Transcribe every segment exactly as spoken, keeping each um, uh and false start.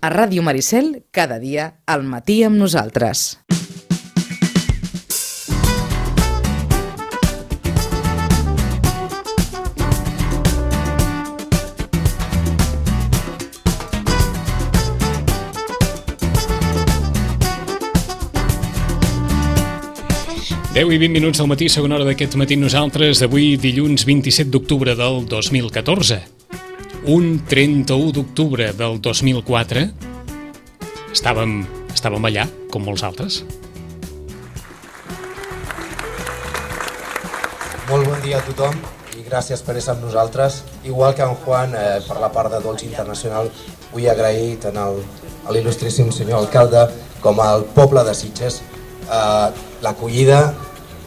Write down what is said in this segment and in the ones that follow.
A Ràdio Maricel, cada dia, al matí amb nosaltres. deu i vint minuts del matí, segona hora d'aquest matí nosaltres, d'avui dilluns vint-i-set d'octubre del dos mil catorze. Un trenta-u d'octubre del dos mil quatre estàvem, estàvem allà, com molts altres. Molt bon dia a tothom i gràcies per estar amb nosaltres. Igual que en Juan, eh, per la part de Dolce Internacional, vull agrair tant al, a l'il·lustríssim senyor alcalde com al poble de Sitges eh, l'acollida,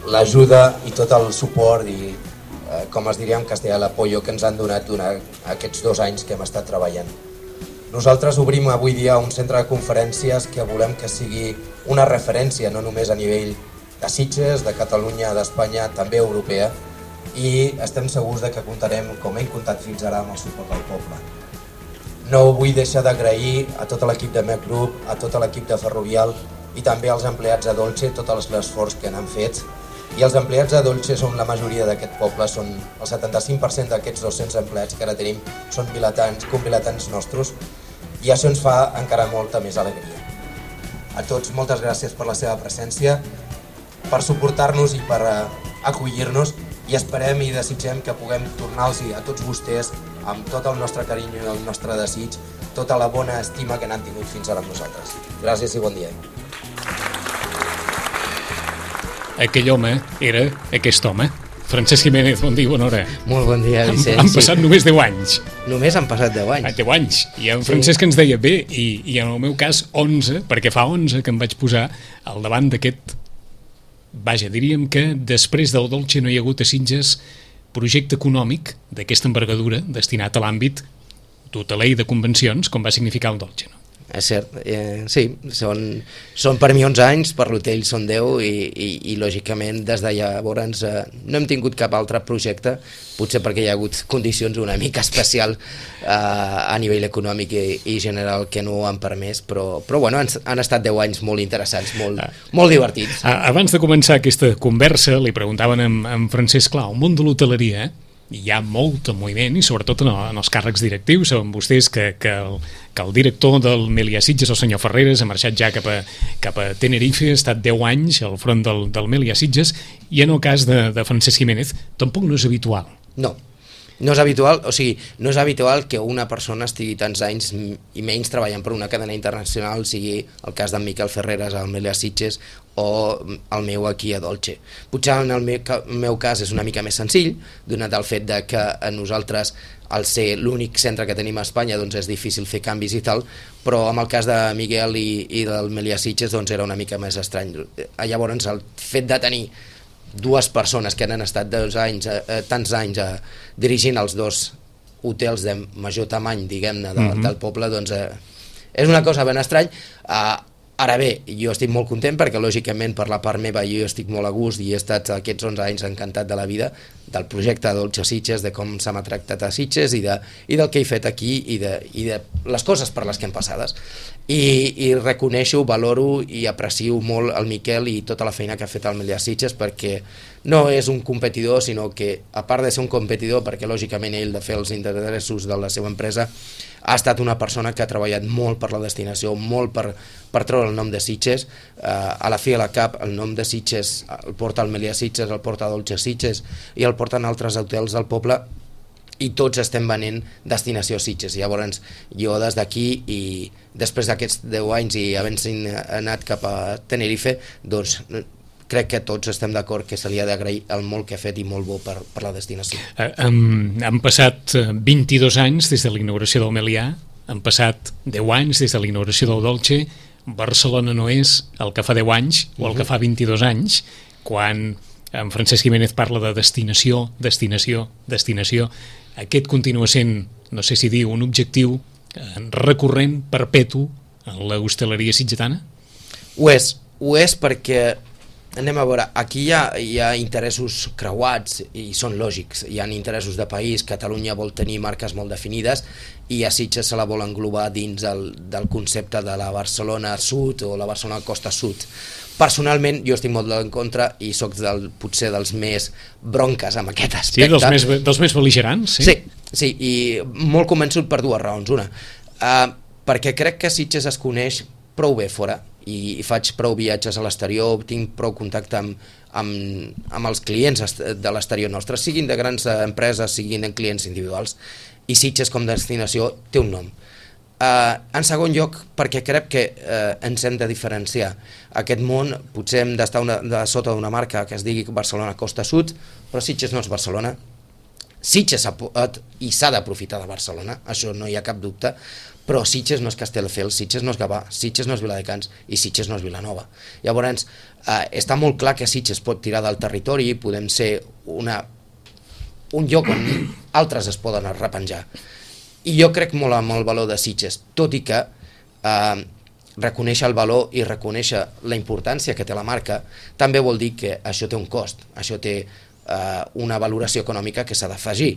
l'ajuda i tot el suport i, eh, com es diria en castellà, l'apoyo que ens han donat durant aquests dos anys que hem estat treballant. Nosaltres obrim avui dia un centre de conferències que volem que sigui una referència no només a nivell de Sitges, de Catalunya, d'Espanya, també europea, i estem segurs de que comptarem, com hem comptat fins ara, amb el suport del poble. No vull deixar d'agrair a tot l'equip de Mec Group, a tot l'equip de Ferrovial i també als empleats de Dolce tot l'esforç que han fet. I els empleats de Dolce són la majoria d'aquest poble, són el setanta-cinc per cent d'aquests dos-cents empleats que ara tenim són vilatans, convilatans nostres, i això ens fa encara molta més alegria. A tots, moltes gràcies per la seva presència, per suportar-nos i per uh, acollir-nos, i esperem i desitgem que puguem tornar-los a tots vostès amb tot el nostre carinyo i el nostre desig, tota la bona estima que n'han tingut fins ara amb nosaltres. Gràcies i bon dia. Aquell home era aquest home. Francesc Jiménez, bon dia, bona hora. Molt bon dia, Vicenç. Han, han passat sí. només deu anys. Només han passat deu anys. deu anys. I en Francesc sí. ens deia bé, i, i en el meu cas onze, perquè fa onze que em vaig posar al davant d'aquest... Vaja, diríem que després del Dolce no hi ha hagut a Sitges projecte econòmic d'aquesta envergadura destinat a l'àmbit hoteler i de convencions, com va significar el Dolce, no? És cert, eh, sí, són, són per mi onze anys, per l'hotel són deu i, i, i lògicament des de llavors eh, no hem tingut cap altre projecte, potser perquè hi ha hagut condicions una mica especial eh, a nivell econòmic i, i general que no ho han permès, però, però bueno, han, han estat deu anys molt interessants, molt, ah. molt divertits. Ah, abans de començar aquesta conversa li preguntaven en, en Francesc, clar, el món de l'hoteleria, eh? Hi ha molt moviment i sobretot en, en els càrrecs directius. Saben vostès que, que, el, que el director del Meliá Sitges, el senyor Ferreres, ha marxat ja cap a, cap a Tenerife, ha estat deu anys al front del, del Meliá Sitges, i en el cas de, de Francesc Jiménez tampoc no és habitual. No, no és habitual, o sigui, no és habitual que una persona estigui tants anys i menys treballant per una cadena internacional, sigui el cas d'en Miquel Ferreres al Meliá Sitges o el meu aquí a Dolce. Potser en el meu, el meu cas és una mica més senzill, donat el fet de que a nosaltres, al ser l'únic centre que tenim a Espanya, doncs és difícil fer canvis i tal, però amb el cas de Miguel i, i del Meliá Sitges doncs era una mica més estrany. Llavors el fet de tenir dues persones que han estat dos anys, eh, tants anys eh, dirigint els dos hotels de major tamany, diguem-ne, de, mm-hmm. del poble, doncs eh, és una cosa ben estrany. Eh, ara bé, jo estic molt content perquè lògicament per la part meva jo estic molt a gust i he estat aquests onze anys encantat de la vida, del projecte Dolce Sitges, de com se m'ha tractat a Sitges i, de, i del que he fet aquí i de, i de les coses per les que hem passades. I, i reconeixo, valoro i aprecio molt el Miquel i tota la feina que ha fet el Meliá Sitges, perquè no és un competidor, sinó que a part de ser un competidor, perquè lògicament ell de fer els interessos de la seva empresa, ha estat una persona que ha treballat molt per la destinació, molt per, per treure el nom de Sitges. Eh, a la fi i a la cap el nom de Sitges el porta el Meliá Sitges, el porta Dolce Sitges i el porten altres hotels del poble, i tots estem venent destinació Sitges. Llavors jo des d'aquí i després d'aquests deu anys i havent anat cap a Tenerife, doncs crec que tots estem d'acord que se li ha d'agrair el molt que ha fet i molt bo per, per la destinació. Eh, han, han passat vint-i-dos anys des de la inauguració del Meliá, han passat deu anys des de la inauguració del Dolce. Barcelona no és el que fa deu anys o el que fa vint-i-dos anys, quan en Francesc Jiménez parla de destinació, destinació, destinació. Aquest continua sent, no sé si dir, un objectiu recurrent, perpetu, en l'hostaleria sitgetana? Ho és, ho és perquè anem a veure, aquí hi ha, hi ha interessos creuats i són lògics, hi ha interessos de país. Catalunya vol tenir marques molt definides i a Sitges se la vol englobar dins el, del concepte de la Barcelona Sud o la Barcelona Costa Sud. Personalment jo estic molt en contra i sóc del, potser dels més bronques amb aquest aspecte. Sí, dels més, dels més bel·ligerants, sí? Sí, sí, i molt convençut per dues raons. Una, uh, perquè crec que Sitges es coneix prou bé fora i, i faig prou viatges a l'exterior, tinc prou contacte amb, amb, amb els clients de l'exterior nostre, siguin de grans empreses, siguin en clients individuals, i Sitges com a destinació té un nom. Uh, en segon lloc, perquè crec que uh, ens hem de diferenciar. Aquest món potser hem d'estar una, de sota d'una marca que es digui Barcelona Costa Sud, però Sitges no és Barcelona. Sitges ha, i s'ha d'aprofitar de Barcelona, això no hi ha cap dubte, però Sitges no és Castelldefels, Sitges no és Gavà, Sitges no és Viladecans i Sitges no és Vilanova. Llavors, uh, està molt clar que Sitges pot tirar del territori, podem ser una, un lloc on altres es poden arrepenjar. I jo crec molt en el valor de Sitges, tot i que eh, reconèixer el valor i reconèixer la importància que té la marca també vol dir que això té un cost, això té eh, una valoració econòmica que s'ha d'afegir,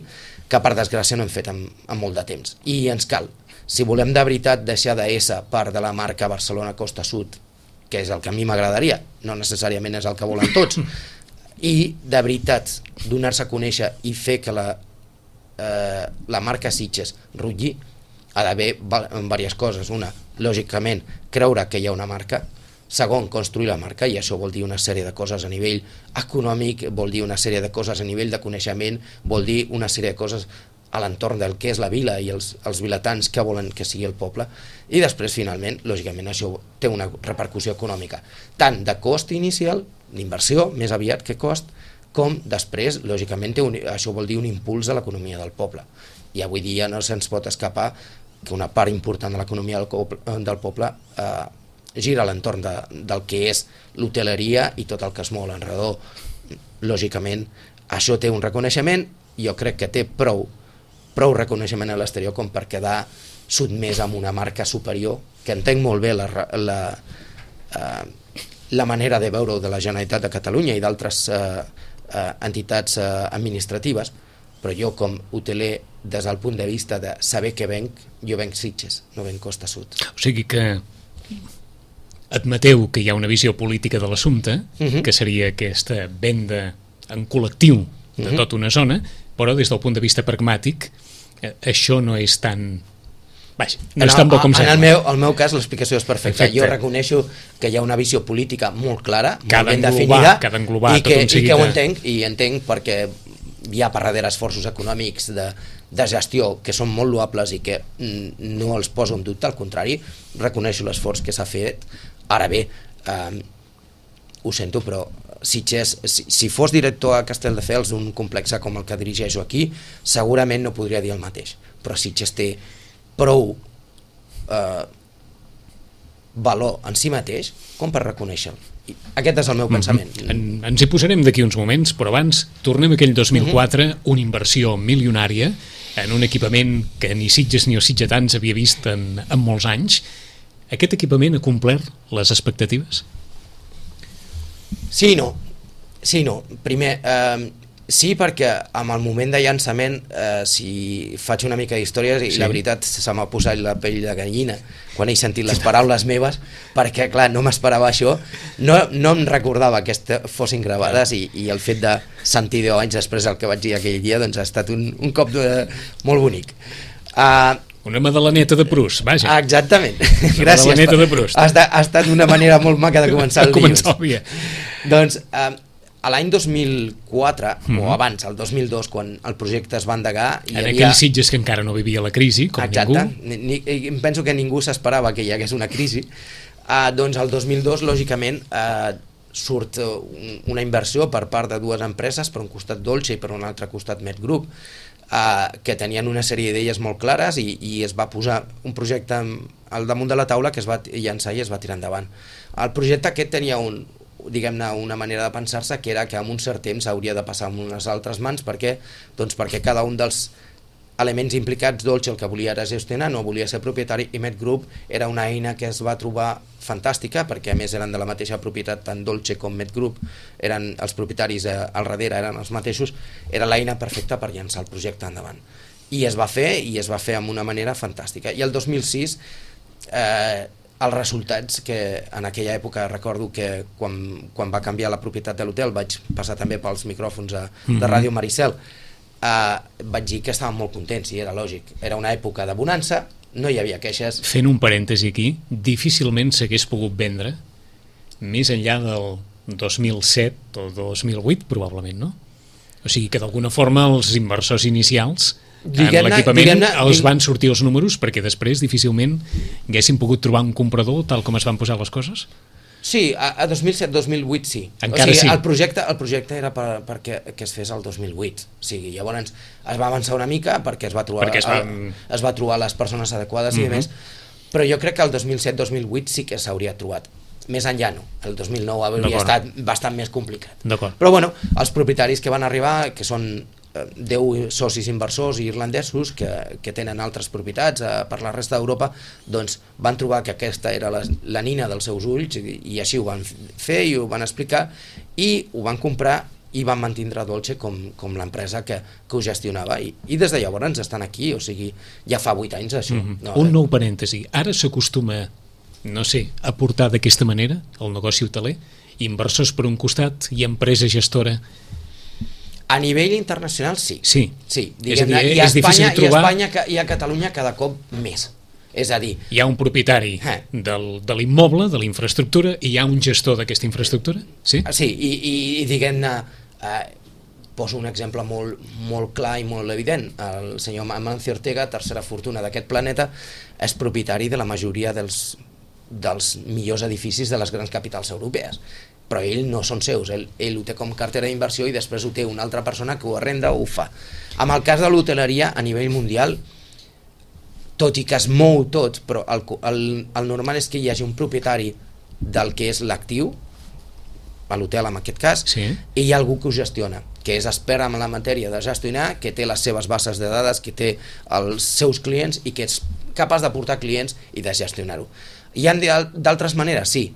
que per desgràcia no hem fet en, en molt de temps. I ens cal, si volem de veritat deixar d'ésser part de la marca Barcelona Costa Sud, que és el que a mi m'agradaria, no necessàriament és el que volen tots, i de veritat donar-se a conèixer i fer que la Eh, la marca Sitges rutlli, ha d'haver diverses coses. Una, lògicament, creure que hi ha una marca. Segon, construir la marca, i això vol dir una sèrie de coses a nivell econòmic, vol dir una sèrie de coses a nivell de coneixement, vol dir una sèrie de coses a l'entorn del que és la vila i els, els vilatans que volen que sigui el poble. I després, finalment, lògicament, això té una repercussió econòmica, tant de cost inicial, d'inversió, més aviat que cost, com després, lògicament, té un, això vol dir un impuls a l'economia del poble. I avui dia no se'ns pot escapar que una part important de l'economia del, del poble eh, gira a l'entorn de, del que és l'hoteleria i tot el que es mou a l'enredor. Lògicament, això té un reconeixement, jo crec que té prou, prou reconeixement a l'exterior com per quedar sotmès amb una marca superior, que entenc molt bé la, la, eh, la manera de veure de la Generalitat de Catalunya i d'altres eh, Eh, entitats eh, administratives, però jo com hoteler, des del punt de vista de saber què venc, jo venc Sitges, no venc Costa Sud. O sigui que admeteu que hi ha una visió política de l'assumpte, uh -huh. que seria aquesta venda en col·lectiu de uh -huh. tota una zona, però des del punt de vista pragmàtic eh, això no és tan... Vaja, no en és tan bo com sembla. En el meu, el meu cas l'explicació és perfecta. Perfecte. Jo reconeixo que hi ha una visió política molt clara, que molt ben englobar, definida, que englobar i, que, i que ho entenc, i entenc perquè hi ha per darrere esforços econòmics de, de gestió que són molt loables i que no els poso en dubte, al contrari, reconeixo l'esforç que s'ha fet. Ara bé, eh, ho sento, però Sitges, si, si fos director a Castelldefels d'un complex com el que dirigeixo aquí, segurament no podria dir el mateix, però Sitges té prou eh, valor en si mateix com per reconèixer-lo. Aquest és el meu pensament. Mm-hmm. en, ens hi posarem d'aquí uns moments, però abans tornem a aquell dos mil quatre, mm-hmm. una inversió milionària en un equipament que ni Sitges ni els sitgetans havia vist en, en molts anys. Aquest equipament ha complert les expectatives? Sí i no. Sí i no. Primer, eh, sí, perquè amb el moment de llançament, eh, si faig una mica d'històries, i sí. La veritat se m'ha posat la pell de gallina quan he sentit les paraules meves, perquè clar, no m'esperava això, no, no em recordava que fossin gravades, i, i el fet de sentir deu anys després el que vaig dir aquell dia, doncs ha estat un, un cop de, molt bonic. Uh, Una Madaleneta de Proust, vaja. Exactament. Una Gràcies. Madaleneta de Proust. Ha estat, ha estat una manera molt maca de començar el dilluns. Començar el dia. Doncs uh, a l'any dos mil quatre, mm-hmm. o abans, el dos mil dos, quan el projecte es va endegar... Hi en havia... aquells Sitges que encara no vivia la crisi, com Exacte. ningú. Ni, ni, penso que ningú s'esperava que hi hagués una crisi. Uh, doncs el dos mil dos, lògicament, uh, surt uh, una inversió per part de dues empreses, per un costat Dolce i per un altre costat Med Group, uh, que tenien una sèrie d'idees molt clares, i, i es va posar un projecte al damunt de la taula que es va llançar i es va tirar endavant. El projecte aquest tenia un diguem-ne, una manera de pensar-se, que era que en un cert temps hauria de passar en unes altres mans, perquè, doncs perquè cada un dels elements implicats, Dolce el que volia era gestionar, no volia ser propietari, i Med Group era una eina que es va trobar fantàstica, perquè a més eren de la mateixa propietat, tant Dolce com Met Group, eren els propietaris eh, al darrere eren els mateixos, era l'eina perfecta per llançar el projecte endavant. I es va fer, i es va fer amb una manera fantàstica. I el dos mil sis, eh, els resultats que en aquella època recordo que quan, quan va canviar la propietat de l'hotel, vaig passar també pels micròfons a, de Ràdio Maricel, eh, vaig dir que estàvem molt contents, i era lògic. Era una època de bonança, no hi havia queixes. Fent un parèntesi aquí, difícilment s'hagués pogut vendre més enllà del dos mil set o dos mil vuit, probablement, no? O sigui que d'alguna forma els inversors inicials en l'equipament els van sortir els números, perquè després difícilment haguessin pogut trobar un comprador tal com es van posar les coses? Sí, a, a dos mil set dos mil vuit sí. Encara o sigui, sí. El projecte, el projecte era per, perquè que es fes el dos mil vuit. O sigui, llavors es va avançar una mica perquè es va trobar, es va... el, es va trobar les persones adequades uh-huh. i més, però jo crec que el dos mil set dos mil vuit sí que s'hauria trobat. Més enllà no, el dos mil nou hauria estat bastant més complicat. Però bueno, els propietaris que van arribar, que són deu socis inversors irlandesos que, que tenen altres propietats eh, per la resta d'Europa, doncs van trobar que aquesta era la, la nina dels seus ulls i, i així ho van fer i ho van explicar i ho van comprar i van mantindre Dolce com, com l'empresa que, que ho gestionava i, i des de llavors ens estan aquí, o sigui, ja fa vuit anys això. Mm-hmm. no, Un nou parèntesi, ara s'acostuma, no sé, a portar d'aquesta manera el negoci hoteler, inversors per un costat i empresa gestora. A nivell internacional sí, sí. sí és a dir, i, a és Espanya, trobar... i a Espanya i a Catalunya cada cop més. És a dir... Hi ha un propietari eh. del, de l'immoble, de la infraestructura, i hi ha un gestor d'aquesta infraestructura? Sí, sí i, i, i diguem-ne, eh, poso un exemple molt, molt clar i molt evident. El senyor Amancio Ortega, tercera fortuna d'aquest planeta, és propietari de la majoria dels, dels millors edificis de les grans capitals europees. Però ell no són seus, ell, ell ho té com cartera d'inversió i després ho té una altra persona que ho arrenda o ho fa. Amb el cas de l'hoteleria a nivell mundial, tot i que es mou tot, però el, el, el normal és que hi hagi un propietari del que és l'actiu, a l'hotel en aquest cas, sí. I hi ha algú que ho gestiona, que és expert en la matèria de gestionar, que té les seves bases de dades, que té els seus clients i que és capaç de portar clients i de gestionar-ho. Hi ha d'altres maneres, sí.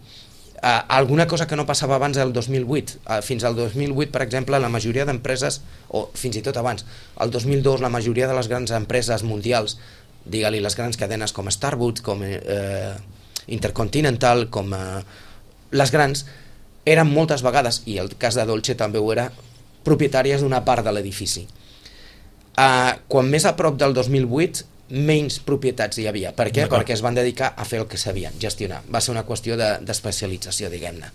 Uh, alguna cosa que no passava abans del dos mil vuit. Uh, fins al dos mil vuit, per exemple, la majoria d'empreses, o fins i tot abans, el dos mil dos la majoria de les grans empreses mundials, digue-li les grans cadenes com Starbucks, com eh, Intercontinental, com eh, les grans, eren moltes vegades, i el cas de Dolce també ho era, propietàries d'una part de l'edifici. Uh, quan més a prop del dos mil vuit, menys propietats hi havia. Per què? Perquè es van dedicar a fer el que sabien, gestionar. Va ser una qüestió d'especialització, de, diguem-ne.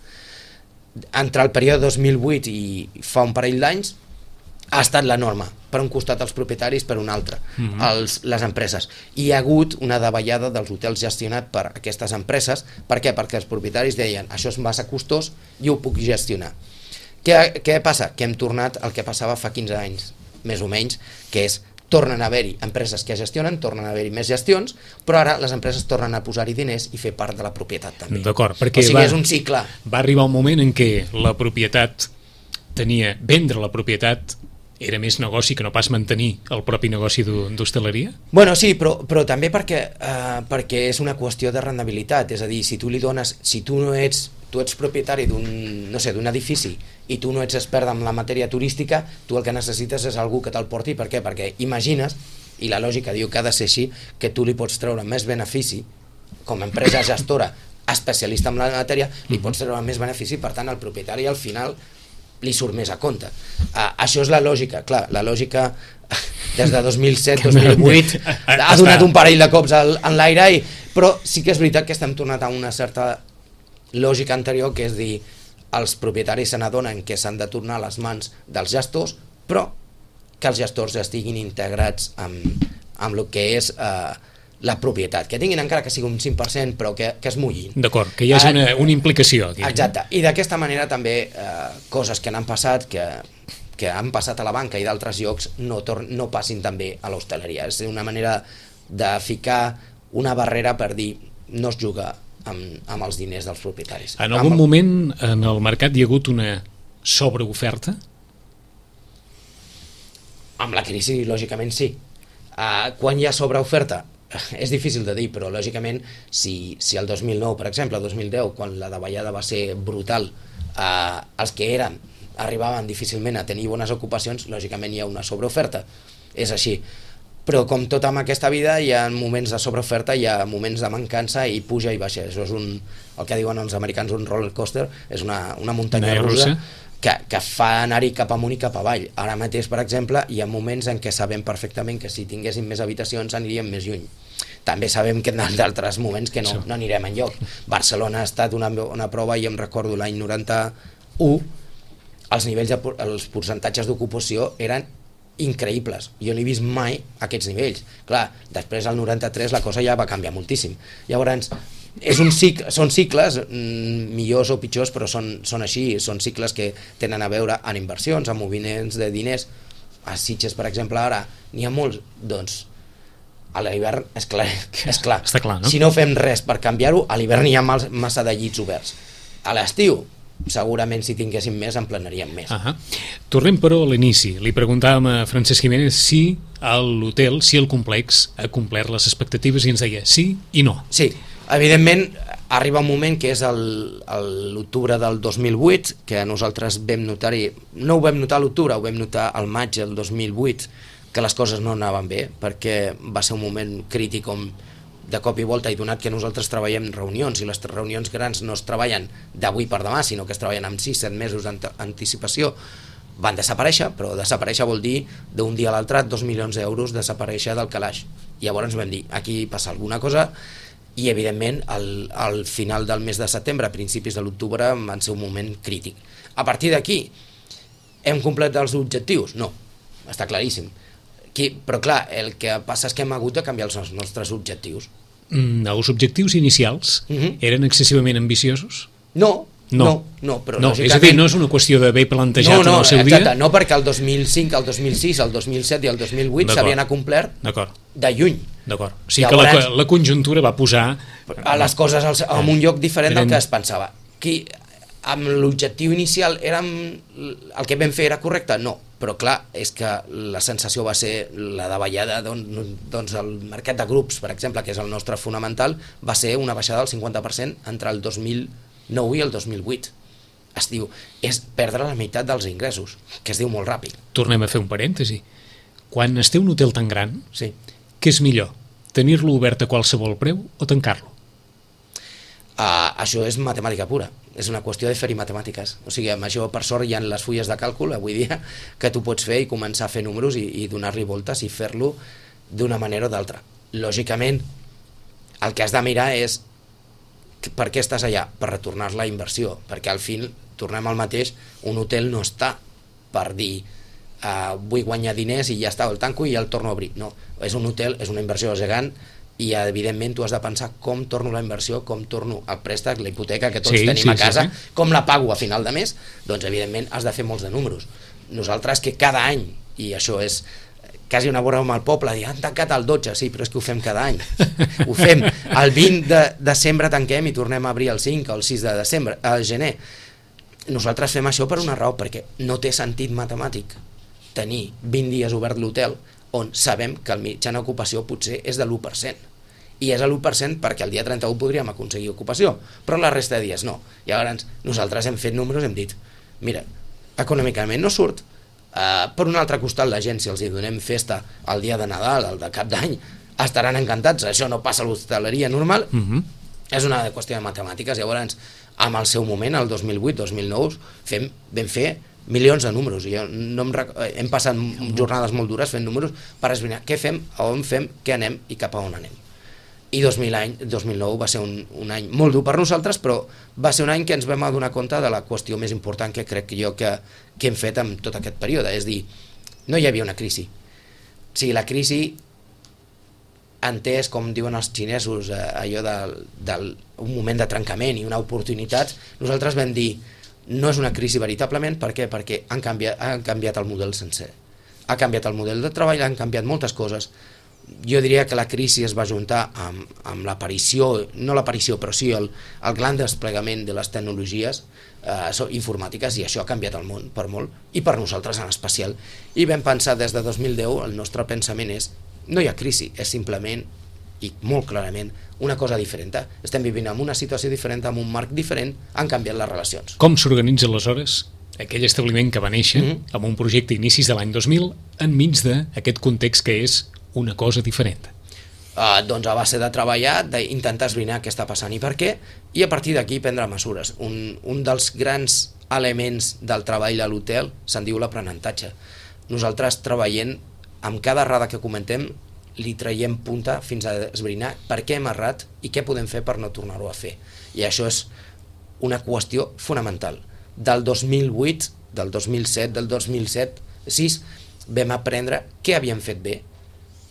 Entre el període dos mil vuit i fa un parell d'anys ha estat la norma, per un costat els propietaris, per un altre, mm-hmm. els, les empreses. I hi ha hagut una davallada dels hotels gestionats per aquestes empreses. Per què? Perquè els propietaris deien això és massa costós i ho puc gestionar. Què, què passa? Que hem tornat al que passava fa quinze anys, més o menys, que és tornen a haver-hi empreses que gestionen, tornen a haver-hi més gestions, però ara les empreses tornen a posar-hi diners i fer part de la propietat també. D'acord, perquè o sigui, va, és un cicle. Va arribar un moment en què la propietat tenia, vendre la propietat era més negoci que no pas mantenir el propi negoci d'hostaleria? Bueno, sí, però, però també perquè, eh, perquè és una qüestió de rendibilitat, és a dir, si tu li dones, si tu no ets, tu ets propietari d'un, no sé, d'un edifici i tu no ets expert en la matèria turística, tu el que necessites és algú que te'l porti. Per què? Perquè imagines, i la lògica diu que ha de ser així, que tu li pots treure més benefici com a empresa gestora especialista en la matèria, li pots treure més benefici, per tant el propietari al final li surt més a compte. Uh, això és la lògica, clar, la lògica des de dos mil set dos mil vuit ha donat un parell de cops al, en l'aire, i, però sí que és veritat que estem tornat a una certa lògica anterior, que és dir, els propietaris se n'adonen que s'han de tornar a les mans dels gestors, però que els gestors estiguin integrats amb, amb el que és eh, la propietat, que tinguin encara que sigui un cinc per cent, però que, que es mullin. D'acord, que hi hagi una, una implicació aquí. Exacte, i d'aquesta manera també eh, coses que n'han passat, que, que han passat a la banca i d'altres llocs, no, tor no passin també a l'hostaleria. És una manera de ficar una barrera per dir no es juga amb, amb els diners dels propietaris. En algun amb... moment en el mercat hi ha hagut una sobreoferta? Amb la crisi, lògicament, sí. Uh, quan hi ha sobreoferta, és difícil de dir, però lògicament si, si el dos mil nou, per exemple, el dos mil deu, quan la davallada va ser brutal, eh, els que eren arribaven difícilment a tenir bones ocupacions, lògicament hi ha una sobreoferta, és així. Però com tot amb aquesta vida hi ha moments de sobreoferta, hi ha moments de mancança i puja i baixa. Això és un, el que diuen els americans un roller coaster, és una, una muntanya russa que, que fa anar-hi cap amunt i cap avall. Ara mateix, per exemple, hi ha moments en què sabem perfectament que si tinguéssim més habitacions aniríem més lluny. També sabem que en d'altres moments que no, no anirem enlloc. Barcelona ha estat una, una prova, i em recordo l'any noranta-u, els nivells de, els percentatges d'ocupació eren increïbles. Jo no he vist mai aquests nivells. Clar, després al noranta-tres la cosa ja va canviar moltíssim. Llavors, és un cicle, són cicles, mmm, millors o pitjors, però són, són així, són cicles que tenen a veure amb inversions, amb moviments de diners. A Sitges, per exemple, ara n'hi ha molts, doncs a l'hivern és clar, és clar. Està clar, no? Si no fem res per canviar-ho, a l'hivern hi ha massa de llits oberts. A l'estiu, segurament si tinguéssim més en plenaríem més. Uh -huh. Tornem però a l'inici. Li preguntàvem a Francesc Jiménez si l'hotel, si el complex ha complert les expectatives i ens deia sí i no. Sí, evidentment arriba un moment que és l'octubre del dos mil vuit, que nosaltres vam notar-hi, no ho vam notar a l'octubre, ho vam notar al maig del dos mil vuit, que les coses no anaven bé, perquè va ser un moment crític on de cop i volta, i donat que nosaltres treballem reunions i les reunions grans no es treballen d'avui per demà, sinó que es treballen amb sis set mesos d'anticipació, van desaparèixer, però desaparèixer vol dir d'un dia a l'altre dos milions d'euros desaparèixer del calaix. I llavors vam dir, aquí passa alguna cosa, i evidentment al, al final del mes de setembre, a principis de l'octubre, van ser un moment crític. A partir d'aquí, hem completat els objectius? No, està claríssim. Qui, però clar, el que passa és que hem hagut de canviar els nostres objectius. Mm, els objectius inicials uh-huh. eren excessivament ambiciosos? No, no, no, no però no, lògicament... És a dir, no és una qüestió d'haver plantejat no, no, en el seu exacte, dia? No, perquè el dos mil cinc, el dos mil sis, el dos mil set i el dos mil vuit s'havien acomplert de lluny. D'acord, o sigui que la, la conjuntura va posar... A les coses al, en un lloc diferent eren... del que es pensava. Qui, amb l'objectiu inicial érem, el que vam fer era correcte? No, però clar, és que la sensació va ser la davallada, doncs el mercat de grups, per exemple, que és el nostre fonamental, va ser una baixada del cinquanta per cent entre el dos mil nou i el dos mil vuit. Es diu, és perdre la meitat dels ingressos, que es diu molt ràpid. Tornem a fer un parèntesi. Quan es té un hotel tan gran, sí. Què és millor? Tenir-lo obert a qualsevol preu o tancar-lo? Uh, això és matemàtica pura, és una qüestió de fer-hi matemàtiques. O sigui, amb això, per sort, hi ha les fulles de càlcul avui dia que tu pots fer i començar a fer números i, i donar-li voltes i fer-lo d'una manera o d'altra. Lògicament, el que has de mirar és per què estàs allà? Per retornar la inversió, perquè al fin, tornem al mateix, un hotel no està per dir uh, vull guanyar diners i ja està, el tanco i ja el torno a obrir. No, és un hotel, és una inversió gegant, i evidentment tu has de pensar com torno la inversió, com torno el préstec, la hipoteca que tots sí, tenim sí, a casa, sí, sí. com la pago a final de mes, doncs evidentment has de fer molts de números. Nosaltres que cada any, i això és quasi una broma al poble, dir, han tancat el dotze, sí, però és que ho fem cada any. Ho fem. El vint de desembre tanquem i tornem a obrir el cinc o el sis de desembre, al gener. Nosaltres fem això per una raó, perquè no té sentit matemàtic tenir vint dies obert l'hotel on sabem que el mitjana ocupació potser és de l'u per cent. I és l'u per cent perquè el dia trenta-u podríem aconseguir ocupació, però la resta de dies no. Llavors, nosaltres hem fet números i hem dit, mira, econòmicament no surt, uh, per un altre costat la gent, si els hi donem festa el dia de Nadal, el de Cap d'Any, estaran encantats, això no passa a l'hostaleria normal, uh-huh. és una qüestió de matemàtiques. Llavors, amb el seu moment, el dos mil vuit dos mil nou, fem, vam fer milions de números, i jo no em rec... hem passat jornades molt dures fent números per esbrinar què fem, a on fem, què anem i cap a on anem. I dos mil nou va ser un, un any molt dur per nosaltres, però va ser un any que ens vam adonar compte de la qüestió més important que crec jo que, que hem fet en tot aquest període, és dir, no hi havia una crisi. O sigui, la crisi, entès, com diuen els xinesos, eh, allò de, de un moment de trencament i una oportunitat, nosaltres vam dir, no és una crisi veritablement, per què? Perquè han canviat, han canviat el model sencer. Ha canviat el model de treball, han canviat moltes coses. Jo diria que la crisi es va juntar amb, amb l'aparició, no l'aparició, però sí el, el gran desplegament de les tecnologies eh, informàtiques, i això ha canviat el món per molt, i per nosaltres en especial. I vam pensar des de dos mil deu, el nostre pensament és, no hi ha crisi, és simplement i molt clarament, una cosa diferent. Estem vivint en una situació diferent, en un marc diferent, han canviat les relacions. Com s'organitza aleshores aquell establiment que va néixer mm-hmm. amb un projecte inicis de l'any dos mil enmig d'aquest context que és una cosa diferent? Uh, doncs a base de treballar, d'intentar esbrinar què està passant i per què, i a partir d'aquí prendre mesures. Un, un dels grans elements del treball a l'hotel se'n diu l'aprenentatge. Nosaltres treballem, amb cada errada que comentem, li traiem punta fins a esbrinar per què hem errat i què podem fer per no tornar-ho a fer. I això és una qüestió fonamental. Del dos mil vuit, del dos mil set, del dos mil set, sis, vam aprendre què havíem fet bé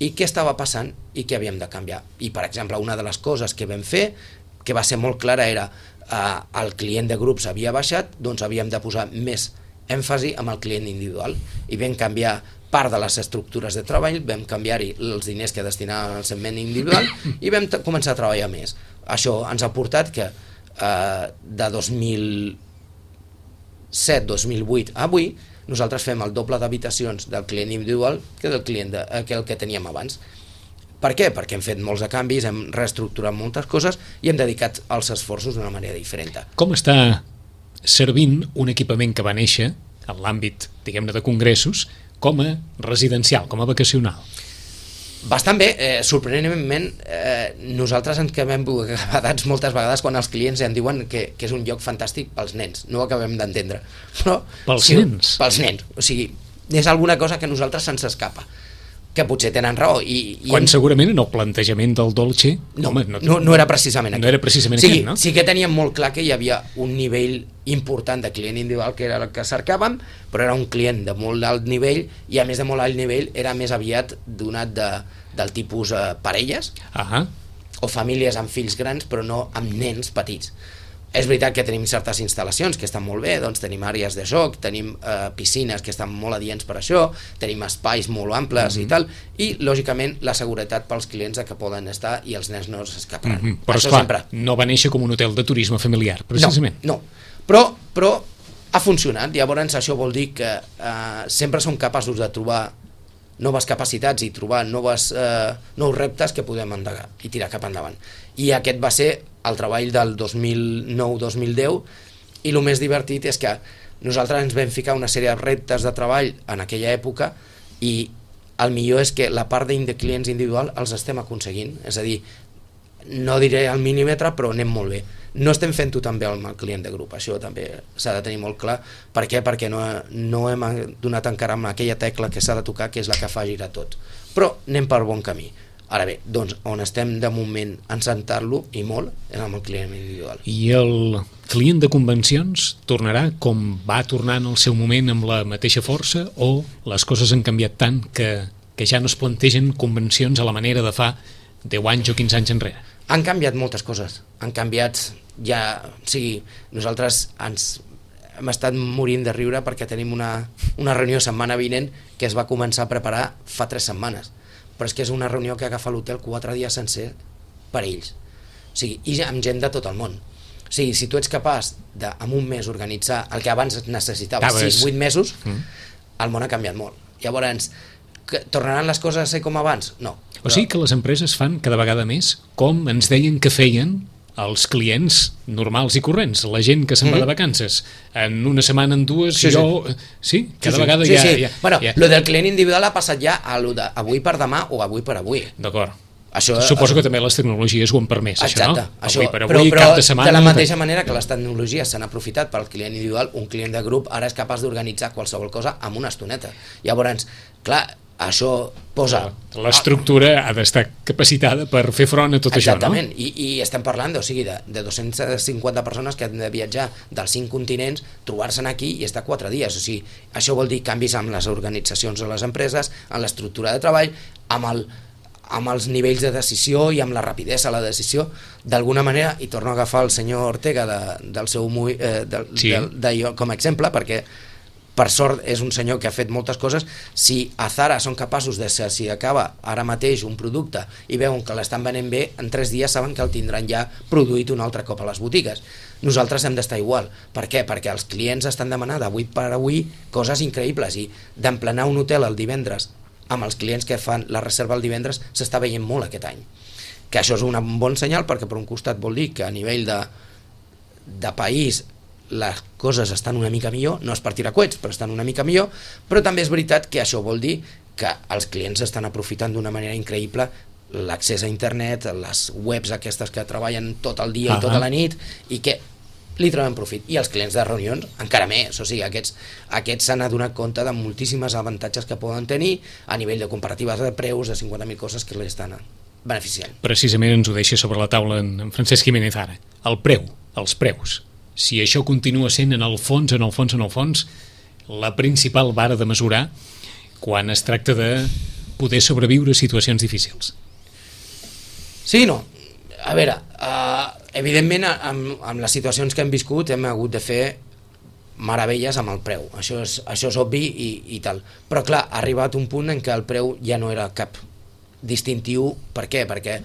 i què estava passant i què havíem de canviar. I, per exemple, una de les coses que vam fer, que va ser molt clara, era eh, el client de grups havia baixat, doncs havíem de posar més èmfasi amb el client individual i vam canviar part de les estructures de treball, vam canviar-hi els diners que destinaven al segment individual i vam començar a treballar més. Això ens ha portat que eh, de dos mil set dos mil vuit a avui nosaltres fem el doble d'habitacions del client individual que del client de, que el que teníem abans. Per què? Perquè hem fet molts de canvis, hem reestructurat moltes coses i hem dedicat els esforços d'una manera diferent. Com està servint un equipament que va néixer en l'àmbit, diguem-ne, de congressos com a residencial, com a vacacional? Bastant bé, eh, sorprenentment eh, nosaltres ens quedem agradats moltes vegades quan els clients ens diuen que, que és un lloc fantàstic pels nens, no ho acabem d'entendre, però pels sí, nens? Pels nens, o sigui, és alguna cosa que a nosaltres se'ns escapa, que potser tenen raó i, i quan hem... segurament en el plantejament del Dolce no, home, no, no, no era precisament no era precisament sí, aquest, no? Sí que teníem molt clar que hi havia un nivell important de client individual que era el que cercàvem, però era un client de molt alt nivell i a més de molt alt nivell era més aviat donat de, del tipus eh, parelles ah. o famílies amb fills grans però no amb nens petits. És veritat que tenim certes instal·lacions que estan molt bé, doncs tenim àrees de joc, tenim eh, piscines que estan molt adients per això, tenim espais molt amples mm-hmm. i tal, i lògicament la seguretat pels clients de que poden estar i els nens no s'escaparan. Mm-hmm. Però això esclar, sempre. No va néixer com un hotel de turisme familiar, precisament. No, no. Però, però ha funcionat, llavors això vol dir que eh, sempre som capaços de trobar noves capacitats i trobar noves, eh, nous reptes que podem endegar i tirar cap endavant. I aquest va ser el treball del dos mil nou dos mil deu i el més divertit és que nosaltres ens vam ficar una sèrie de reptes de treball en aquella època i el millor és que la part de clients individual els estem aconseguint, és a dir, no diré al mil·límetre però anem molt bé. No estem fent-ho tan bé amb el client de grup, això també s'ha de tenir molt clar. Per què? Perquè no, no hem donat encara amb aquella tecla que s'ha de tocar, que és la que fa girar tot. Però anem per bon camí. Ara bé, doncs on estem de moment encentar-lo, i molt, és amb el client individual. I el client de convencions tornarà com va tornar en el seu moment amb la mateixa força o les coses han canviat tant que, que ja no es plantegen convencions a la manera de fa deu anys o quinze anys enrere? Han canviat moltes coses, han canviat ja, o sigui, nosaltres ens hem estat morint de riure perquè tenim una, una reunió setmana vinent que es va començar a preparar fa tres setmanes, però és que és una reunió que agafa l'hotel quatre dies sencer per ells, o sigui, i amb gent de tot el món. O sigui, si tu ets capaç de, en un mes, organitzar el que abans necessitava sis vuit mesos, mm. el món ha canviat molt. Llavors, que tornaran les coses a ser com abans? No. O sigui que les empreses fan cada vegada més com ens deien que feien els clients normals i corrents, la gent que se'n va de vacances en una setmana, en dues, sí, jo... Sí, cada sí, sí. vegada sí, ja... sí. ja bueno, ja... lo del client individual ha passat ja a lo de avui per demà o avui per avui. D'acord. Això, Suposo que també les tecnologies ho han permès, exacte, això, no? Això, avui per avui, però, però cap de setmana... de la mateixa manera que les tecnologies s'han aprofitat pel client individual, un client de grup ara és capaç d'organitzar qualsevol cosa amb una estoneta. Llavors, clar, això posa... L'estructura ha d'estar capacitada per fer front a tot exactament. això, no? I, i estem parlant, o sigui, de, de dos-centes cinquanta persones que han de viatjar dels cinc continents, trobar-se'n aquí i estar quatre dies. O sigui, això vol dir canvis amb les organitzacions de les empreses, en l'estructura de treball, amb el amb els nivells de decisió i amb la rapidesa a la decisió, d'alguna manera, i torno a agafar el senyor Ortega de, del seu eh, de, sí. de, de, de, com a exemple, perquè per sort és un senyor que ha fet moltes coses. Si a Zara són capaços de, si acaba ara mateix un producte i veuen que l'estan venent bé, en tres dies saben que el tindran ja produït un altre cop a les botigues. Nosaltres hem d'estar igual. Per què? Perquè els clients estan demanant d'avui per avui coses increïbles, i d'emplenar un hotel el divendres amb els clients que fan la reserva el divendres s'està veient molt aquest any. que això és un bon senyal, perquè per un costat vol dir que a nivell de, de país les coses estan una mica millor, no és per tirar coets, però estan una mica millor, però també és veritat que això vol dir que els clients estan aprofitant d'una manera increïble l'accés a internet, les webs aquestes que treballen tot el dia uh -huh. i tota la nit, i que li troben profit. I els clients de reunions encara més, o sigui, aquests aquests s'han adonat compte de moltíssimes avantatges que poden tenir a nivell de comparatives de preus, de cinquanta mil coses que li estan beneficiant. Precisament ens ho deixa sobre la taula en, en Francesc Jiménez ara. El preu, els preus. Si això continua sent en el fons, en el fons, en el fons, la principal vara de mesurar quan es tracta de poder sobreviure a situacions difícils. Sí, no. A veure, uh, evidentment amb, amb les situacions que hem viscut hem hagut de fer meravelles amb el preu, això és, això és obvi i, i tal, però clar, ha arribat un punt en què el preu ja no era cap distintiu. Per què? Perquè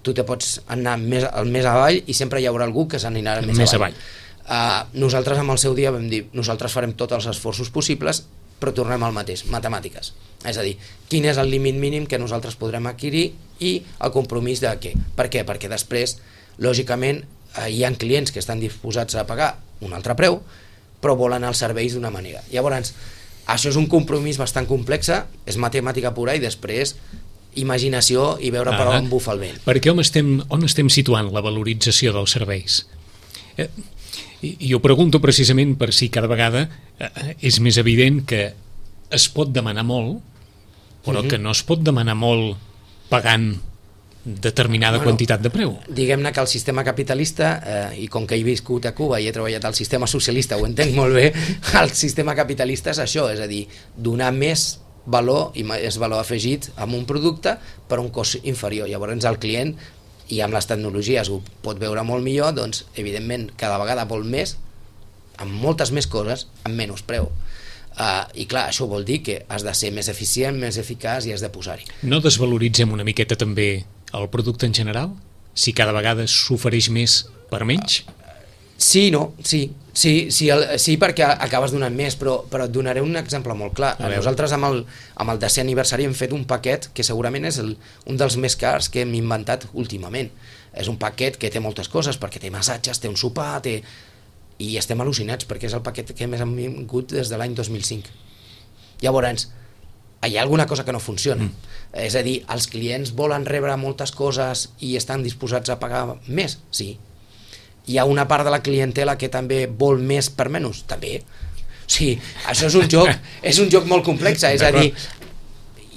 tu te pots anar més, més avall i sempre hi haurà algú que s'anirà més, més avall, avall. Uh, nosaltres amb el seu dia vam dir nosaltres farem tots els esforços possibles, però tornem al mateix, matemàtiques, és a dir, quin és el límit mínim que nosaltres podrem adquirir i el compromís de què. Per què? Perquè després lògicament hi ha clients que estan disposats a pagar un altre preu però volen els serveis d'una manera. Llavors això és un compromís bastant complex, és matemàtica pura i després imaginació i veure per on bufa el vent. Perquè on estem, on estem situant la valorització dels serveis? Eh, i, i ho pregunto precisament per si cada vegada eh, és més evident que es pot demanar molt, però uh-huh. que no es pot demanar molt pagant determinada bueno, quantitat de preu. Diguem-ne que el sistema capitalista, eh, i com que he viscut a Cuba i he treballat al sistema socialista, ho entenc molt bé, el sistema capitalista és això, és a dir, donar més valor i més valor afegit amb un producte per un cost inferior. Llavors el client, i amb les tecnologies ho pot veure molt millor, doncs evidentment cada vegada vol més, amb moltes més coses, amb menys preu. Uh, i clar, això vol dir que has de ser més eficient, més eficaç i has de posar-hi. No desvaloritzem una miqueta també el producte en general? Si cada vegada s'ofereix més per menys? Uh, sí, no, sí sí, sí, el, sí perquè acabes donant més, però, però et donaré un exemple molt clar. Nosaltres amb el, amb el desè aniversari hem fet un paquet que segurament és el, un dels més cars que hem inventat últimament. És un paquet que té moltes coses, perquè té massatges, té un sopar, té... i estem al·lucinats perquè és el paquet que més hem vingut des de l'any dos mil cinc. Llavors, hi ha alguna cosa que no funciona. Mm. És a dir, els clients volen rebre moltes coses i estan disposats a pagar més? Sí. Hi ha una part de la clientela que també vol més per menys? També. Sí, això és un joc, és un joc molt complex, és a dir,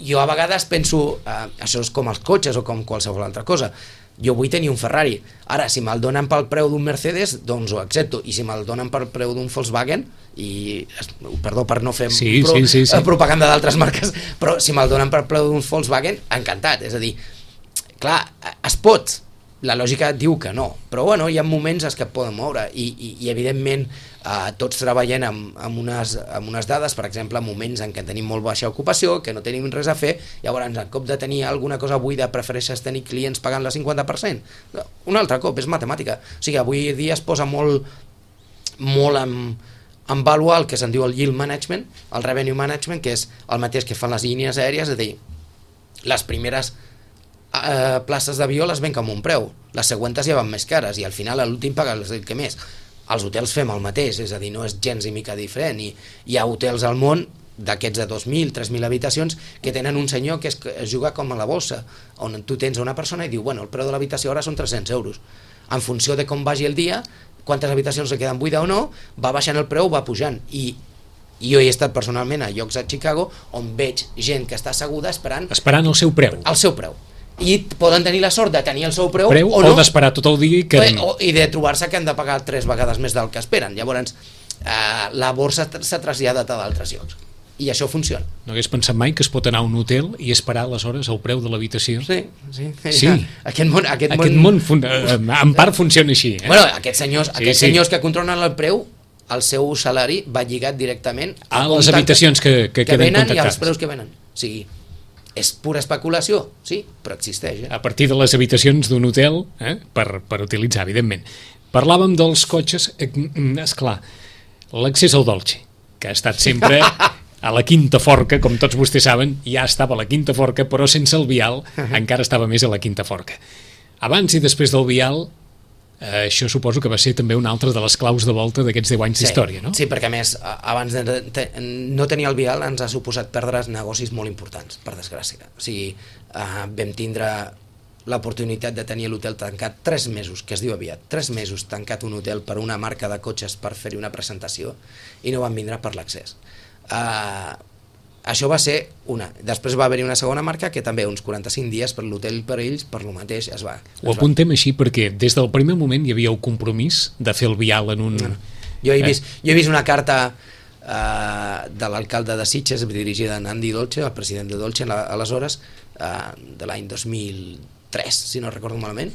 jo a vegades penso, eh, això és com els cotxes o com qualsevol altra cosa, jo vull tenir un Ferrari, ara si me'l donen pel preu d'un Mercedes doncs ho accepto, i si me'l donen pel preu d'un Volkswagen, i perdó per no fer sí, pro, sí, sí, sí. propaganda d'altres marques, però si me'l donen pel preu d'un Volkswagen, encantat. És a dir, clar, es pot, la lògica diu que no, però bueno, hi ha moments en què et poden moure i, i, i evidentment eh, tots treballem amb, amb, unes, amb unes dades, per exemple, en moments en què tenim molt baixa ocupació, que no tenim res a fer, llavors en cop de tenir alguna cosa buida prefereixes tenir clients pagant la cinquanta per cent. Un altre cop, és matemàtica. O sigui, avui dia es posa molt, molt en, en vàlua el que se'n diu el yield management, el revenue management, que és el mateix que fan les línies aèries, és a dir, les primeres Uh, places d'avió les venc amb un preu, les següents ja van més cares i al final a l'últim paga el que més. Els hotels fem el mateix, és a dir, no és gens i mica diferent, i hi ha hotels al món d'aquests de dos mil, tres mil habitacions que tenen un senyor que es, es juga com a la bossa, on tu tens una persona i diu, bueno, el preu de l'habitació ara són tres-cents euros, en funció de com vagi el dia, quantes habitacions se queden buida o no, va baixant el preu, va pujant, i jo he estat personalment a llocs a Chicago on veig gent que està asseguda esperant esperant el seu preu, el seu preu. I poden tenir la sort de tenir el seu preu, preu o no, o d'esperar tot el dia i, que... o, i de trobar-se que han de pagar tres vegades més del que esperen. Llavors eh, la borsa s'ha traslladat a d'altres llocs i això funciona. No hagués pensat mai que es pot anar a un hotel i esperar aleshores el preu de l'habitació? Sí, sí, sí. Aquest món, aquest aquest món... món fun... en part funciona així, eh? Bueno, aquests senyors, sí, aquests sí. senyors que controlen el preu, el seu salari va lligat directament a, a les habitacions que, que, que queden venen contractades. I als preus que venen. O sigui, és pura especulació, sí, però existeix. Eh? A partir de les habitacions d'un hotel, eh, per, per utilitzar, evidentment. Parlàvem dels cotxes, eh, esclar, l'accés al Dolce, que ha estat sempre a la quinta forca, com tots vostès saben, ja estava a la quinta forca, però sense el vial encara estava més a la quinta forca. Abans i després del vial, eh, això suposo que va ser també una altra de les claus de volta d'aquests deu anys sí, d'història, no? Sí, perquè a més, abans de te, no tenir el vial ens ha suposat perdre negocis molt importants, per desgràcia. O sigui, eh, vam tindre l'oportunitat de tenir l'hotel tancat tres mesos, que es diu aviat, tres mesos tancat un hotel per una marca de cotxes per fer-hi una presentació i no van vindre per l'accés. Uh, això va ser una. Després va haver-hi una segona marca que també uns quaranta-cinc dies per l'hotel per ells, per lo mateix es va. Es Ho apuntem va. Així perquè des del primer moment hi havia el compromís de fer el vial en un... No. Jo, he vist, jo he vist una carta uh, de l'alcalde de Sitges dirigida a Andy Dolce, el president de Dolce aleshores, uh, de l'any dos mil tres, si no recordo malament,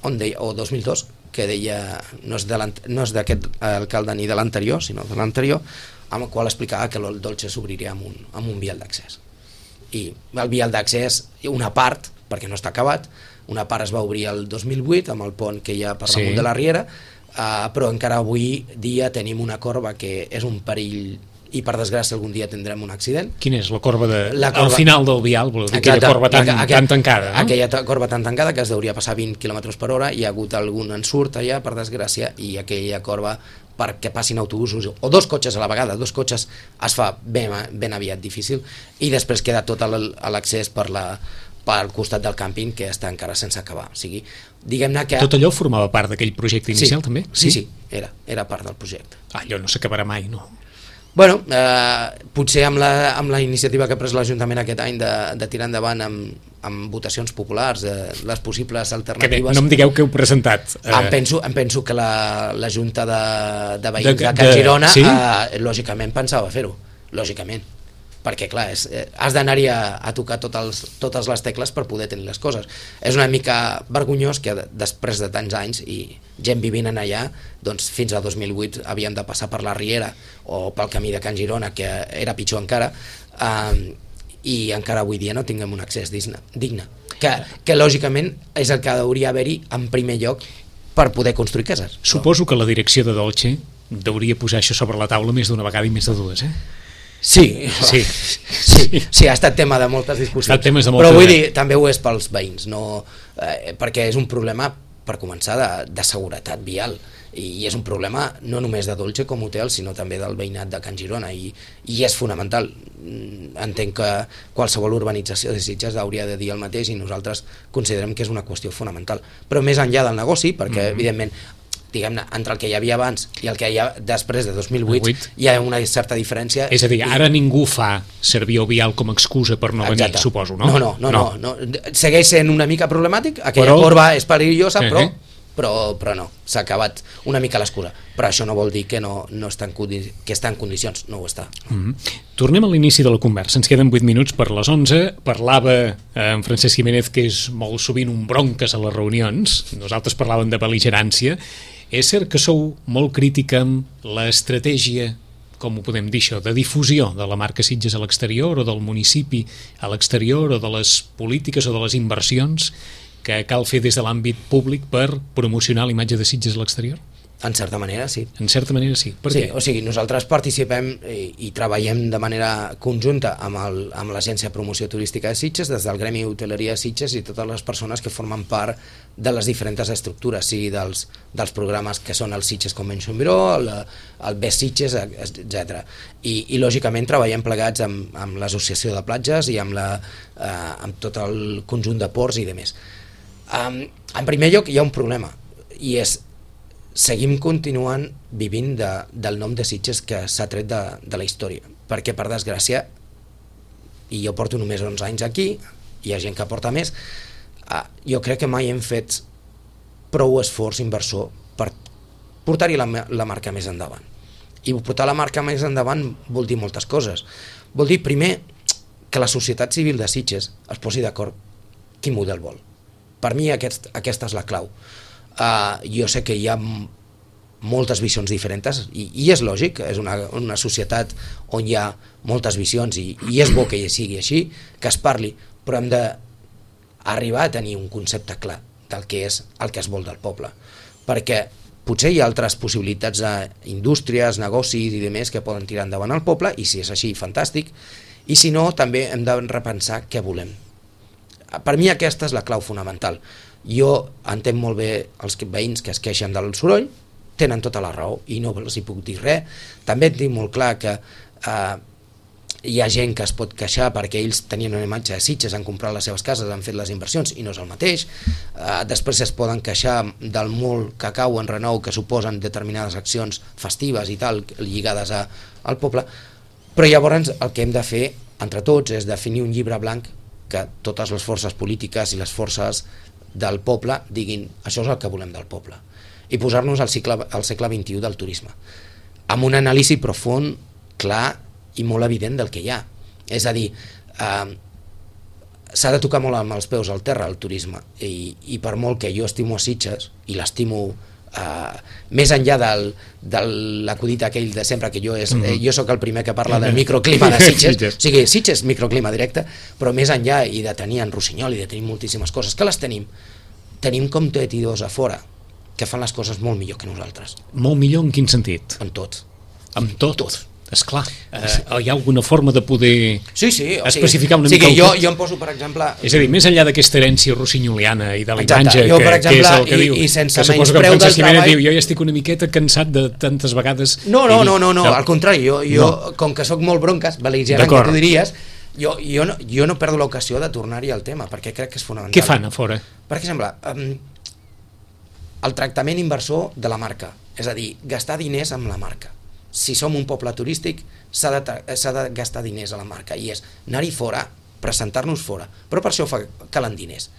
on deia, o dos mil dos, que deia, no és d'aquest alcalde ni de l'anterior, sinó de l'anterior, amb el qual explicava que el Dolce s'obriria amb un, amb un vial d'accés. I el vial d'accés, una part, perquè no està acabat, una part es va obrir el dos mil vuit amb el pont que hi ha per damunt sí. de la Riera, uh, però encara avui dia tenim una corba que és un perill i per desgràcia algun dia tindrem un accident. Quina és la corba, de, la corba... al final del vial, voleu dir, aquella corba tan, aquella, tan tancada, no? Aquella corba tan tancada que es deuria passar vint quilòmetres per hora, hi ha hagut algun ensurt allà, per desgràcia, i aquella corba perquè passin autobusos o dos cotxes a la vegada, dos cotxes es fa ben, ben aviat difícil, i després queda tot l'accés per la pel costat del càmping que està encara sense acabar. O sigui, diguem-ne que... Tot allò formava part d'aquell projecte inicial, sí, també? Sí, sí, era, era part del projecte. Ah, allò no s'acabarà mai, no? Bueno, eh, potser amb la, amb la iniciativa que ha pres l'Ajuntament aquest any de, de tirar endavant amb, amb votacions populars, eh, les possibles alternatives... Que bé, no em digueu que heu presentat. Eh... Em, penso, em penso que la, la Junta de, de Veïns de, de, de Can Girona sí? eh, lògicament pensava fer-ho, lògicament. Perquè clar, és, eh, has d'anar-hi a, a tocar tot els, totes les tecles per poder tenir les coses. És una mica vergonyós que després de tants anys i gent vivint en allà, doncs fins a dos mil vuit havien de passar per la Riera o pel camí de Can Girona, que era pitjor encara, eh, i encara avui dia no tinguem un accés digne, digne que, que lògicament és el que hauria d'haver-hi en primer lloc per poder construir cases. Suposo que la direcció de Dolce deuria posar això sobre la taula més d'una vegada i més de dues, eh? Sí, sí, sí, sí, ha estat tema de moltes discussions, de moltes però vull dir, també ho és pels veïns, no, eh, perquè és un problema, per començar, de, de seguretat vial, i és un problema no només de Dolce com a hotel, sinó també del veïnat de Can Girona, i, i és fonamental. Entenc que qualsevol urbanització de Sitges hauria de dir el mateix i nosaltres considerem que és una qüestió fonamental, però més enllà del negoci, perquè mm-hmm. evidentment diguem-ne, entre el que hi havia abans i el que hi ha després de dos mil vuit hi ha una certa diferència. És a dir, ara ningú fa servir el vial com a excusa per no venir, Exacte. suposo, no? No, no, no, no. no, no. Segueix sent una mica problemàtic, aquella però... corba és perillosa, però, uh-huh. però, però no, s'ha acabat una mica l'excusa. Però això no vol dir que, no, no està en, que està en condicions, no ho està. Uh-huh. Tornem a l'inici de la conversa, ens queden vuit minuts per les onze, parlava eh, en Francesc Jiménez que és molt sovint un bronques a les reunions, nosaltres parlàvem de bel·ligerància. És cert que sou molt crític amb l'estratègia, com ho podem dir això, de difusió de la marca Sitges a l'exterior o del municipi a l'exterior o de les polítiques o de les inversions que cal fer des de l'àmbit públic per promocionar l'imatge de Sitges a l'exterior? En certa manera, sí. En certa manera, sí. Per sí, què? O sigui, nosaltres participem i, i treballem de manera conjunta amb, el, amb l'Agència de Promoció Turística de Sitges, des del Gremi Hoteleria de Sitges i totes les persones que formen part de les diferents estructures, sigui dels, dels programes que són el Sitges Convention Bureau, el, el Best Sitges, etcètera. I, i lògicament treballem plegats amb, amb l'Associació de Platges i amb, la, eh, amb tot el conjunt de ports i demés. Um, en primer lloc hi ha un problema, i és seguim continuant vivint de, del nom de Sitges que s'ha tret de, de la història, perquè per desgràcia, i jo porto només onze anys aquí, hi ha gent que porta més, uh, jo crec que mai hem fet prou esforç inversor per portar-hi la, la marca més endavant. I portar la marca més endavant vol dir moltes coses. Vol dir, primer, que la societat civil de Sitges es posi d'acord quin model vol. Per mi aquest, aquesta és la clau. Uh, jo sé que hi ha moltes visions diferents i, i és lògic, és una, una societat on hi ha moltes visions i, i és bo que hi sigui així, que es parli, però hem d'arribar a tenir un concepte clar del que és el que es vol del poble, perquè potser hi ha altres possibilitats d'indústries, negocis i demés que poden tirar endavant al poble, i si és així, fantàstic, i si no, també hem de repensar què volem. Per mi aquesta és la clau fonamental. Jo entenc molt bé els veïns que es queixen del soroll, tenen tota la raó i no els hi puc dir res. També et dic molt clar que eh, hi ha gent que es pot queixar perquè ells tenien una imatge de Sitges, han comprat les seves cases, han fet les inversions i no és el mateix. Eh, després es poden queixar del molt cacau en renou que suposen determinades accions festives i tal lligades a, al poble, però llavors el que hem de fer entre tots és definir un llibre blanc que totes les forces polítiques i les forces del poble diguin això és el que volem del poble i posar-nos al, cicle, al segle vint-i-u del turisme amb un anàlisi profund, clar i molt evident del que hi ha. És a dir, eh, s'ha de tocar molt amb els peus al terra el turisme i, i per molt que jo estimo a Sitges i l'estimo eh, més enllà del, de l'acudit aquell de sempre que jo, és, mm -hmm. eh, jo sóc el primer que parla del microclima de Sitges, o sigui, Sitges microclima directe, però més enllà i de tenir en Rossinyol i de tenir moltíssimes coses, que les tenim, tenim competidors a fora que fan les coses molt millor que nosaltres. Molt millor en quin sentit? En tot. En tot? Tot. Esclar, eh, hi ha alguna forma de poder sí, sí, o especificar sigui, una sí, mica... Sí, jo, jo em poso, per exemple... És a dir, més enllà d'aquesta herència rossinyoliana i de l'imatge, que, per exemple, que és el que i, diu, i sense que menys preu del treball... Diu, jo ja estic una miqueta cansat de tantes vegades... No, no, no, no, no, al contrari, jo, jo no. Com que sóc molt bronques, beligerant, que tu diries, jo, jo, no, jo no perdo l'ocasió de tornar-hi al tema, perquè crec que és fonamental. Què fan a fora? Per exemple, um, el tractament inversor de la marca, és a dir, gastar diners amb la marca. Si som un poble turístic s'ha de, s'ha de gastar diners a la marca i és anar-hi fora, presentar-nos fora, però per això fa, calen diners.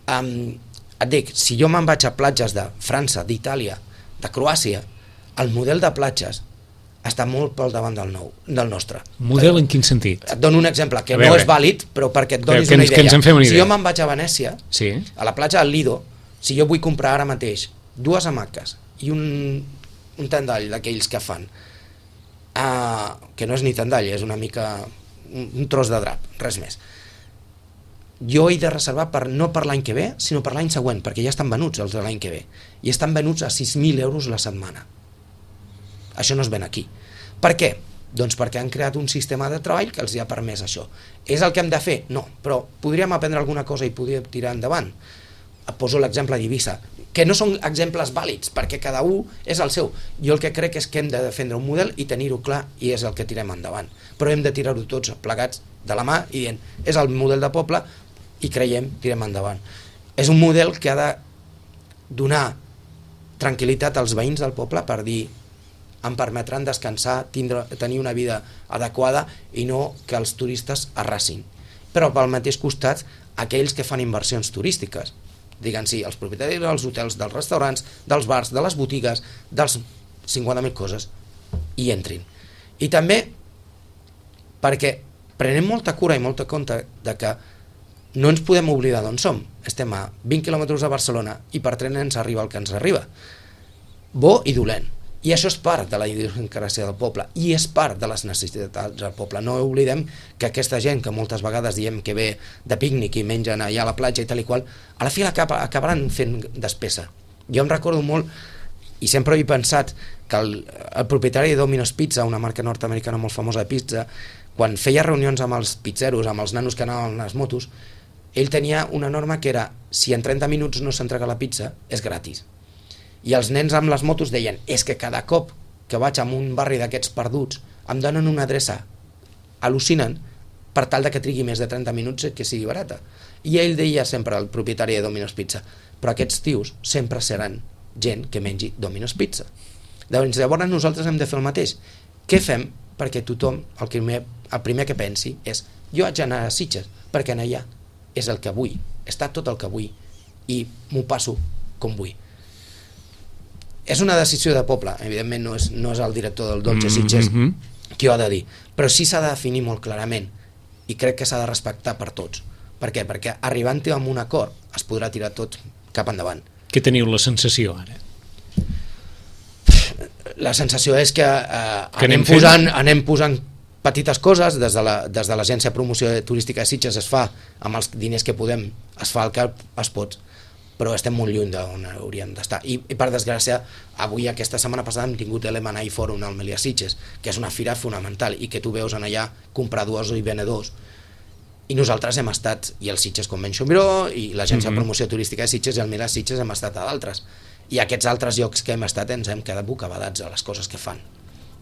Um, et dic, si jo me'n vaig a platges de França, d'Itàlia, de Croàcia, el model de platges està molt pel davant del, nou, del nostre. Model en quin sentit? Et dono un exemple que no és vàlid, però perquè et donis que, una idea. Que ens en fem una idea. Si jo me'n vaig a Venècia, sí. a la platja del Lido, si jo vull comprar ara mateix dues hamaques i un, un tendall d'aquells que fan Uh, que no és ni tendall, és una mica un, un tros de drap, res més. Jo he de reservar per, no per l'any que ve, sinó per l'any següent, perquè ja estan venuts els de l'any que ve, i estan venuts a sis mil euros la setmana. Això no es ven aquí. Per què? Doncs perquè han creat un sistema de treball que els hi ha permès això. És el que hem de fer? No, però podríem aprendre alguna cosa i podríem tirar endavant. Poso l'exemple d'Eivissa, que no són exemples vàlids, perquè cada un és el seu. Jo el que crec és que hem de defendre un model i tenir-ho clar, i és el que tirem endavant. Però hem de tirar-ho tots plegats de la mà i dient, és el model de poble i creiem, tirem endavant. És un model que ha de donar tranquil·litat als veïns del poble per dir, em permetran descansar, tindre, tenir una vida adequada i no que els turistes arrasin. Però pel mateix costat, aquells que fan inversions turístiques, diguem-hi, els propietaris dels hotels, dels restaurants, dels bars, de les botigues, dels cinquanta mil coses, hi entrin. I també perquè prenem molta cura i molta compte de que no ens podem oblidar d'on som. Estem a vint quilòmetres de Barcelona i per tren ens arriba el que ens arriba. Bo i dolent. I això és part de la idiosincràsia del poble i és part de les necessitats del poble. No oblidem que aquesta gent que moltes vegades diem que ve de pícnic i mengen allà a la platja i tal i qual, a la fi acabaran fent despesa. Jo em recordo molt, i sempre he pensat, que el, el propietari de Domino's Pizza, una marca nord-americana molt famosa de pizza, quan feia reunions amb els pizzeros, amb els nanos que anaven a les motos, ell tenia una norma que era, si en trenta minuts no s'entrega la pizza, és gratis. I els nens amb les motos deien, és que cada cop que vaig a un barri d'aquests perduts em donen una adreça al·lucinant per tal de que trigui més de trenta minuts que sigui barata. I ell deia sempre al propietari de Domino's Pizza, però aquests tios sempre seran gent que mengi Domino's Pizza. Llavors, llavors nosaltres hem de fer el mateix. Què fem perquè tothom, el primer, el primer que pensi és, jo haig d'anar a Sitges perquè anar allà és el que vull, està tot el que vull i m'ho passo com vull. És una decisió de poble, evidentment no és, no és el director del Dolce Sitges mm -hmm. qui ho ha de dir, però sí s'ha de definir molt clarament i crec que s'ha de respectar per tots. Per què? Perquè arribant-hi amb un acord es podrà tirar tot cap endavant. Què teniu la sensació ara? La sensació és que, eh, que anem, posant, anem posant petites coses, des de la, des de l'agència de promoció turística de Sitges es fa, amb els diners que podem, es fa el que es pot, però estem molt lluny d'on hauríem d'estar. I, I per desgràcia, avui, aquesta setmana passada, hem tingut l'M and A Forum al Melià Sitges, que és una fira fonamental i que tu veus en allà compradors i venedors i nosaltres hem estat, i el Sitges Convention Bureau i l'agència Mhm. de promoció turística de Sitges i el Mila Sitges hem estat a d'altres, i aquests altres llocs que hem estat ens hem quedat bocabadats a les coses que fan.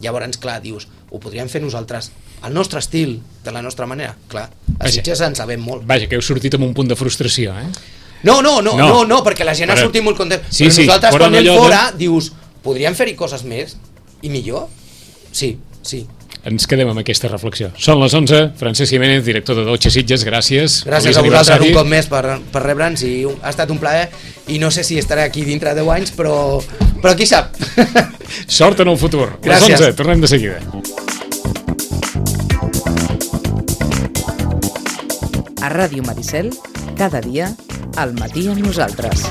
Llavors, clar, dius, ho podríem fer nosaltres al nostre estil, de la nostra manera? Clar, a Vaja. Sitges ens sabem molt. Vaja, que heu sortit amb un punt de frustració, eh? No, no, no, No. no, no, perquè la gent ha Però- sortit molt content. Sí, Però sí, nosaltres però quan no anem allò de- fora, dius, podríem fer-hi coses més i millor? Sí, sí. Ens quedem amb aquesta reflexió. Són les onze, Francesc Jiménez, director de Dolce Sitges, gràcies. Gràcies Feliç a vosaltres aniversari. un cop més per, per rebre'ns i ha estat un plaer i no sé si estaré aquí dintre de deu anys, però, però qui sap. Sort en el futur. Gràcies. Les onze, tornem de seguida. A Ràdio Maricel, cada dia, al matí amb nosaltres.